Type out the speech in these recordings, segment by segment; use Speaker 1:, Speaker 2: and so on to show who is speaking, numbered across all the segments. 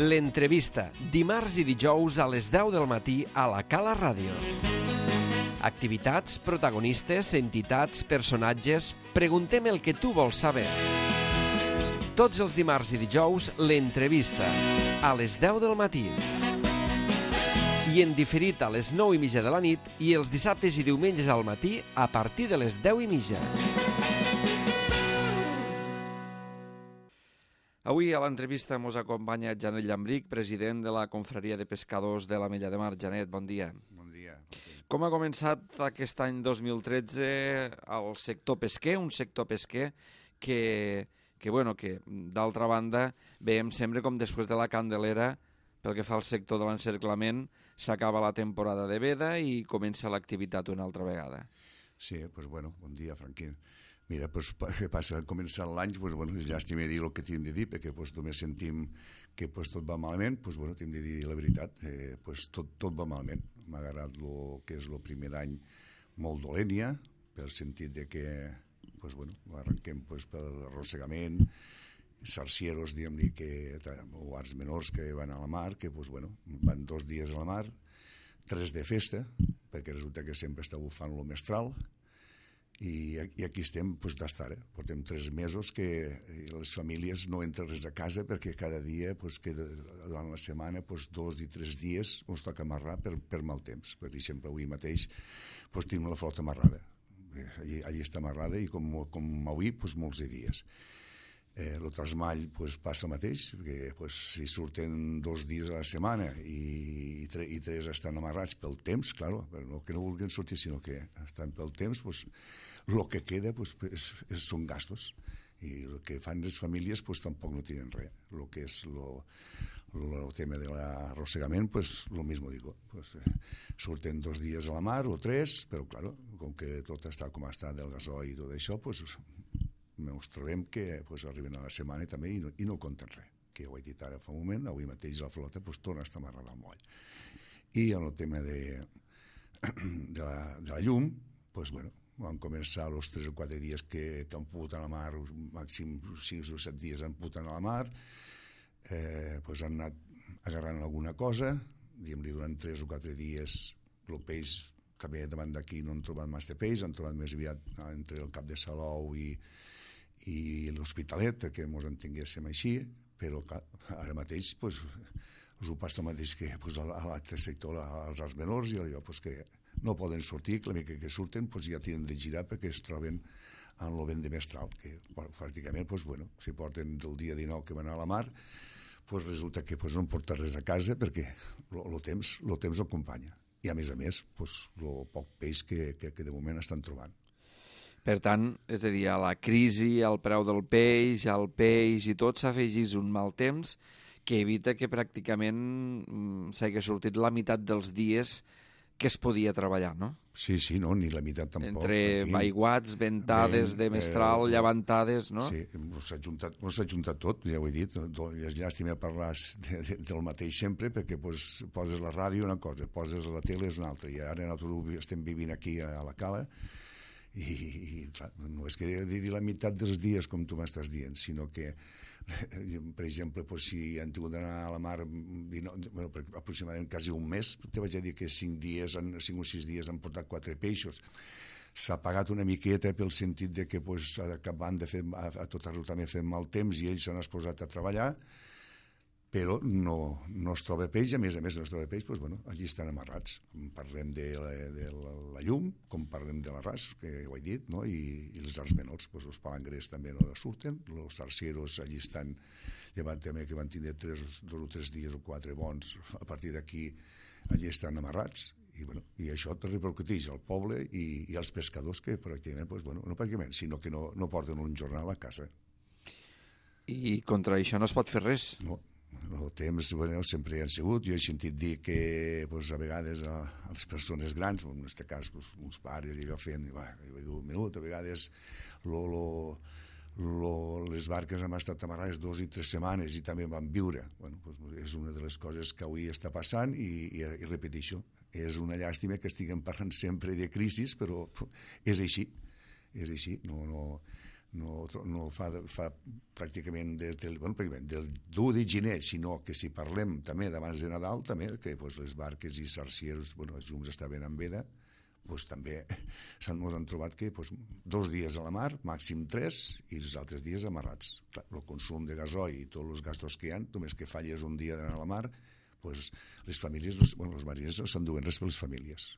Speaker 1: L'entrevista, dimarts i dijous a les 10 del matí a la Cala Ràdio. Activitats, protagonistes, entitats, personatges... Preguntem el que tu vols saber. Tots els dimarts i dijous, l'entrevista, a les 10 del matí. I en diferit a les 9:30 de la nit i els dissabtes i diumenges al matí a partir de les 10:30. Avui a l'entrevista ens acompanya Janet Llambrich, president de la Confraria de Pescadors de l'Ametlla de Mar. Janet, bon dia.
Speaker 2: Bon dia.
Speaker 1: Com ha començat aquest any 2013 el sector pesquer, un sector pesquer que d'altra banda veiem sempre com després de la Candelera, pel que fa al sector de l'encerclament, s'acaba la temporada de veda i comença l'activitat una altra vegada.
Speaker 2: Sí, bon dia, Franquín. Mira, què passa? Començant l'any, és llàstima dir el que hem de dir, perquè només sentim que tot va malament, hem de dir la veritat, tot va malament. M'ha agradat el que és el primer d'any molt dolent ja, pel sentit de que arrenquem per arrossegament, sarcieros, diguem-ne, o arts menors que van a la mar, que van 2 dies a la mar, 3 de festa, perquè resulta que sempre està bufant el mestral, i aquí estem d'estar. Portem 3 mesos que les famílies no entren res a casa perquè cada dia, durant la setmana, 2 i 3 dies ens toca amarrar per mal temps. Per exemple, avui mateix tenim la flota amarrada. Allí està amarrada i com avui, molts de dies. El trasmall passa el mateix, perquè si surten 2 dies a la setmana i 3 estan amarrats pel temps, clar, no que no vulguin sortir, sinó que estan pel temps, el que queda són gastos, i el que fan les famílies tampoc no tenen res. El que és el tema de l'arrossegament, lo mismo digo, surten 2 dies a la mar o 3, però clar, com que tot està com està del gasoil i tot això, ens trobem que arriben a la setmana també i no compten res, que ho he dit ara fa un moment. Avui mateix la flota torna a estar amarrada al moll. I en el tema de la llum, van començar els 3 o 4 dies que han pogut a la mar, màxim 6 o 7 dies han pogut anar a la mar, han anat agarrant alguna cosa, diguem-li, durant 3 o 4 dies el peix, també davant d'aquí no han trobat massa peix, han trobat més aviat entre el Cap de Salou i l'Hospitalet, perquè ens entenguéssim així, però clar, ara mateix us ho passa el mateix que a l'altre sector, als arts menors, i allò que no poden sortir, que la mica que surten ja tenen de girar perquè es troben en el vent de mestral, que pràcticament, si porten del dia 19 que van a la mar, resulta que no han portat res a casa perquè el temps ho acompanya. I a més, el poc peix que de moment estan trobant.
Speaker 1: Per tant, és a dir, a la crisi, al preu del peix, al peix i tot, s'afegís un mal temps que evita que pràcticament s'hagi sortit la meitat dels dies que es podia treballar, no?
Speaker 2: Sí, no, ni la meitat tampoc.
Speaker 1: Entre aiguats, ventades de mestral, llevantades, no?
Speaker 2: Sí, s'ha juntat tot, ja ho he dit. És llàstima parlar del mateix sempre, perquè poses la ràdio una cosa, poses la tele és una altra, i ara nosaltres estem vivint aquí a la Cala, i clar, no és que digui la meitat dels dies com tu m'estàs dient, sinó que per exemple, si han tingut d'anar a la mar aproximadament quasi un mes, te vaig a dir que 5 o 6 dies han portat 4 peixos. S'ha pagat una miqueta pel sentit de que acabant de fer tot arreu també fent mal temps i ells s'han exposat a treballar, però no es troba peix, a més no es troba peix, allí estan amarrats. Com parlem de la llum, com parlem de l'arràs, que ho he dit, no? I els arts menors, els palangrers també no surten, els sarcieros allí estan, llevat també que van tindre 2 o 3 dies o 4 bons, a partir d'aquí allí estan amarrats, i això repercuteix al poble i als pescadors que pràcticament, no pràcticament, sinó que no porten un jornal a casa.
Speaker 1: I contra això no es pot fer res?
Speaker 2: No. El temps sempre hi han sigut. Jo he sentit dir que a vegades a les persones grans, en aquest cas uns pares, i allò feien un minut, a vegades les barques han estat amarrades 2 i 3 setmanes i també van viure. És una de les coses que avui està passant i repeteixo, és una llàstima que estiguem parlant sempre de crisis, però és així. No no fa pràcticament des del 1 de gener, sinó que si parlem també d'abans de Nadal, també que les barques i sarcieros, els llums estaven en veda, també ens han trobat que 2 dies a la mar, màxim 3, i els altres dies amarrats. El consum de gasoil i tots els gastos que hi ha, només que falles un dia d'anar a la mar, les famílies, els mariners no s'enduen res per les famílies.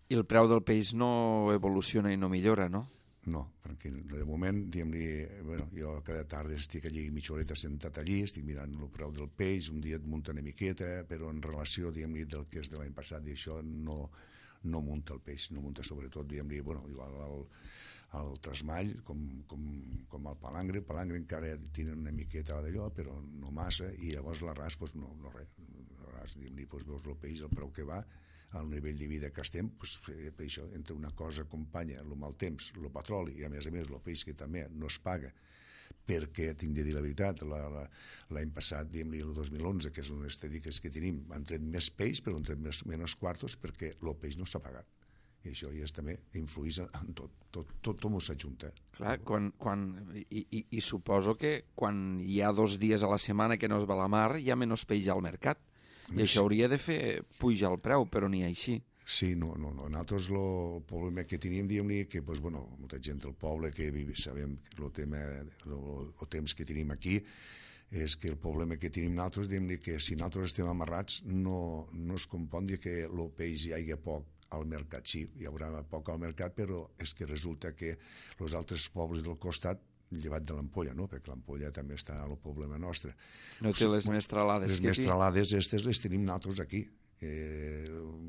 Speaker 3: I el preu del peix no evoluciona i no millora, no?
Speaker 2: No, perquè de moment, jo cada tarda estic allí mitja horeta sentat allí, estic mirant el preu del peix, un dia et munta una miqueta, però en relació, del que és de l'any passat, i això no munta el peix, no munta sobretot, igual al trasmall, com al palangre. El palangre encara tenen una miqueta d'allò, però no massa, i llavors l'arràs, no res. L'arràs, veus el peix, el preu que va, al nivell de vida que estem, per això, entre una cosa acompanya el mal temps, el petroli, i a més el peix que també no es paga, perquè tinc de dir la veritat, l'any passat, el 2011, que és un estadístiques que tenim, han tret més peix, però han tret menys quartos, perquè el peix no s'ha pagat. I això ja també influïs en tot m'ho s'ajunta.
Speaker 3: Clar, i suposo que quan hi ha 2 dies a la setmana que no es va a la mar, hi ha menys peix al mercat. I això hauria de fer pujar el preu, però ni així.
Speaker 2: Sí, no. Nosaltres el problema que teníem, que molta gent del poble que sabem el temps que tenim aquí, és que el problema que tenim nosaltres, que si nosaltres estem amarrats, no es compon que el peix hi hagi poc al mercat. Sí, hi haurà poc al mercat, però és que resulta que els altres pobles del costat, llevat de l'Ampolla, no? Perquè l'Ampolla també està al problema nostre.
Speaker 3: No té les mestralades que té.
Speaker 2: Les mestralades aquestes les tenim nosaltres aquí.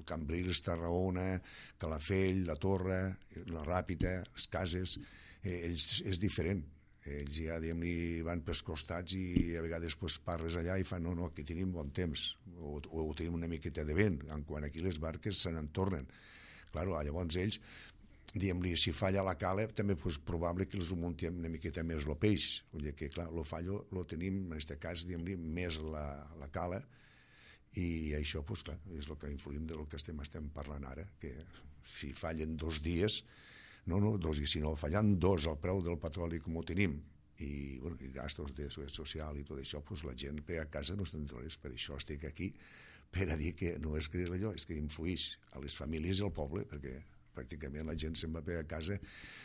Speaker 2: Cambrils, Tarragona, Calafell, la Torre, la Ràpita, les cases, és diferent. Ells ja van pels costats i a vegades parles allà i fan no, aquí tenim bon temps, o tenim una miqueta de vent, quan aquí les barques se n'en tornen. Llavors ells, si falla la cala, també és probable que els muntin una miqueta més el peix. Vull dir que, clar, el fallo el tenim, en aquest cas, més la cala, i això, clar, és el que influïm del que estem parlant ara, que si fallen 2 dies, i si no fallen 2 al preu del petroli com ho tenim, i gastos de seguretat social i tot això, la gent a casa no estan res. Per això estic aquí, per a dir que no és que allò, és que influïx a les famílies i al poble, perquè pràcticament la gent se'n va a casa,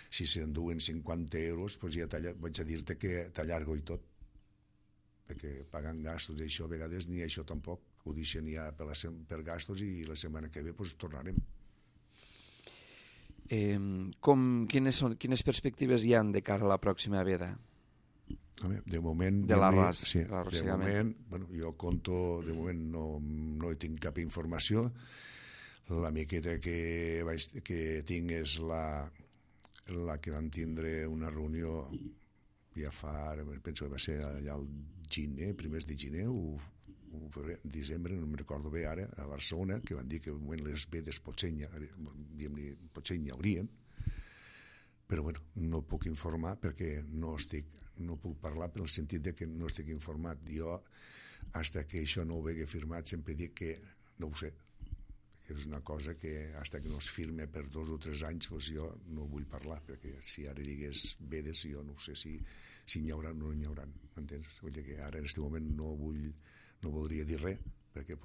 Speaker 2: si s'enduen 50 euros, ja vaig a dir-te que t'allargo i tot, perquè pagant gastos i això, a vegades ni això tampoc, ho deixen ja per gastos i la setmana que ve tornarem.
Speaker 3: Quines perspectives hi ha de cara a la pròxima veda?
Speaker 2: De moment...
Speaker 3: De l'arròs.
Speaker 2: Sí, de moment, jo conto, de moment no hi tinc cap informació. La miqueta que tinc és la que vam tindre una reunió ja fa, penso que va ser allà al gener, primers de gener o desembre, no me'n recordo bé ara, a Barcelona, que van dir que les vedes potser hi haurien, però no puc informar perquè no puc parlar pel sentit de que no estic informat. Jo, fins que això no ho vegi firmat, sempre dic que no ho sé, que és una cosa que fins que no es firme per 2 o 3 anys jo no vull parlar, perquè si ara digués vedes jo no sé si n'hi haurà o no n'hi haurà, m'entens? Vull dir que ara en aquest moment no voldria dir res, perquè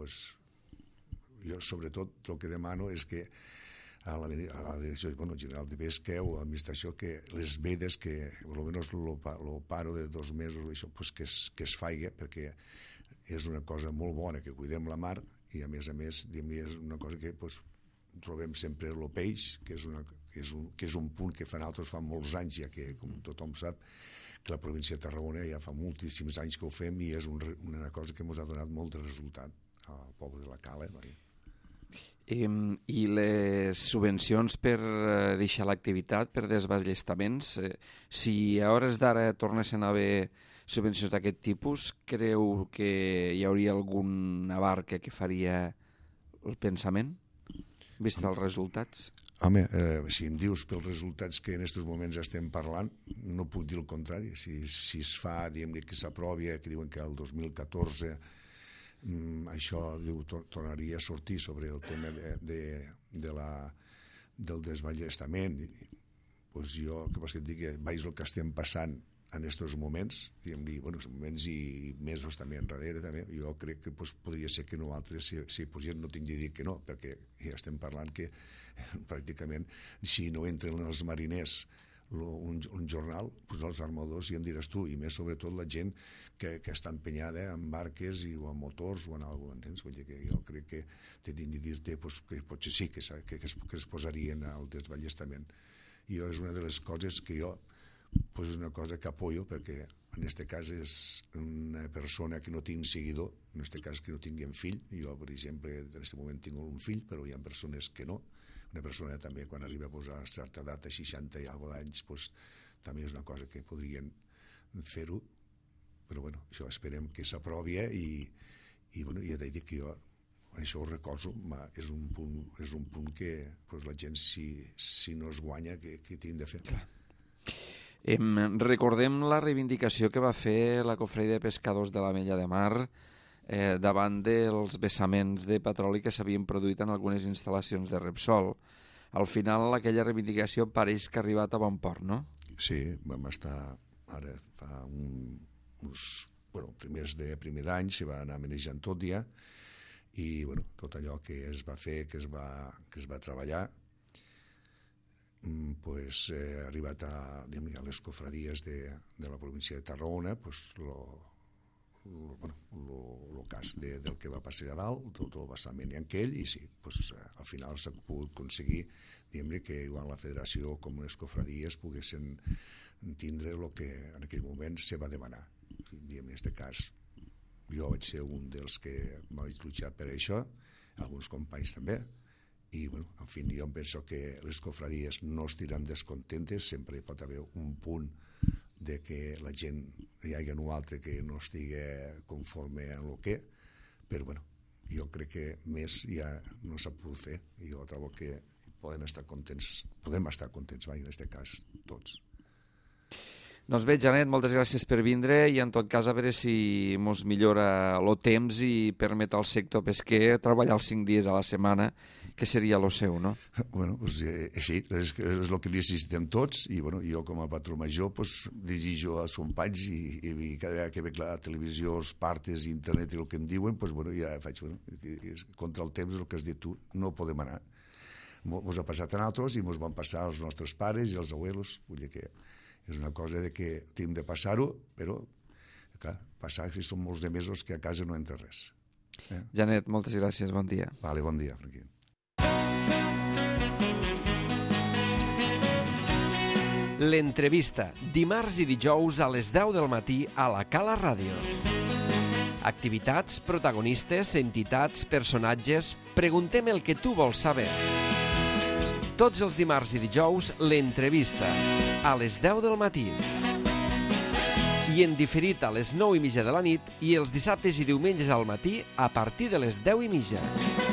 Speaker 2: jo sobretot el que demano és que a la Direcció General de Pesca o a l'administració que les vedes, que almenys el paro de 2 mesos això, que es faci, perquè és una cosa molt bona que cuidem la mar i a més és una cosa que trobem sempre el peix, que és un punt que nosaltres fa molts anys ja que, com tothom sap, que la província de Tarragona ja fa moltíssims anys que ho fem i és una cosa que ens ha donat molt de resultat al poble de la Cala.
Speaker 3: I les subvencions per deixar l'activitat, per desballestaments, si a hores d'ara tornessin a haver subvencions d'aquest tipus, creu que hi hauria alguna barca que faria el pensament, vist els resultats?
Speaker 2: Home, si em dius pels resultats que en aquests moments estem parlant, no puc dir el contrari. Si es fa, diguem-ne, que s'aprovi, que diuen que el 2014 això tornaria a sortir sobre el tema del desballestament, pues jo, que vols que et digui, veig el que estem passant en aquests moments, moments i mesos també enrere, també, jo crec que podria ser que nosaltres, si posem, no tinc de dir que no, perquè ja estem parlant que pràcticament, si no entren els mariners un jornal, els armadors ja en diràs tu, i més sobretot la gent que està empenyada en barques o en motors o en alguna cosa, entens? Vull dir que jo crec que t'he de dir-te que potser sí que es posarien al desballestament. I és una de les coses que jo, és una cosa que apoyo, perquè en aquest cas és una persona que no tinc seguidor, en aquest cas que no tinguin fill, jo per exemple en aquest moment tinc un fill, però hi ha persones que no. Una persona també quan arriba a posar certa data, 60 i alguna d'anys, també és una cosa que podrien fer-ho, però bueno, això esperem que s'aprovi i ja t'he dit que jo això ho recordo, és un punt que la gent si no es guanya que tenim de fer.
Speaker 3: Recordem la reivindicació que va fer la Cofradia de Pescadors de l'Ametlla de Mar davant dels vessaments de petroli que s'havien produït en algunes instal·lacions de Repsol. Al final, aquella reivindicació pareix que ha arribat a bon port, no?
Speaker 2: Sí, vam estar ara fa primer d'any, s'hi va anar manejant tot ja, i tot allò que es va fer, que es va treballar, ha arribat a les cofradies de la província de Tarragona, el cas del que va passar a dalt, tot el vessament i aquell, i sí, al final s'ha pogut aconseguir que igual la federació com les cofradies poguessin tindre el que en aquell moment se va demanar. En aquest cas jo vaig ser un dels que vaig luchar per això, alguns companys també, i en fi, jo penso que les cofradies no estiran descontentes, sempre hi pot haver un punt de que la gent hi hagi un altre que no estigui conforme en el que, però jo crec que més ja no s'ha pogut fer i jo trobo que podem estar contents en aquest cas tots.
Speaker 3: Doncs bé, Janet, moltes gràcies per vindre i en tot cas a veure si mos millora el temps i permet al sector pesquer treballar els 5 dies a la setmana, que seria el seu, no?
Speaker 2: Sí, és el que necessitem tots i jo com a patró major dirigio als companys i cada vegada que veig la televisió, els partes, internet i el que em diuen, ja faig, contra el temps el que has dit tu, no podem anar. Mos ha passat a nosaltres i mos van passar als nostres pares i als abuelos, vull dir que és una cosa que tenim de passar-ho, però clar, passar si són molts de mesos que a casa no entra res.
Speaker 3: Janet, moltes gràcies, bon dia.
Speaker 2: Vale, bon dia, Franquí.
Speaker 1: L'entrevista, dimarts i dijous a les 10 del matí a la Cala Ràdio. Activitats, protagonistes, entitats, personatges... Preguntem el que tu vols saber. Tots els dimarts i dijous, l'entrevista, a les 10 del matí. I en diferit a les 9:30 de la nit i els dissabtes i diumenges al matí a partir de les 10:30.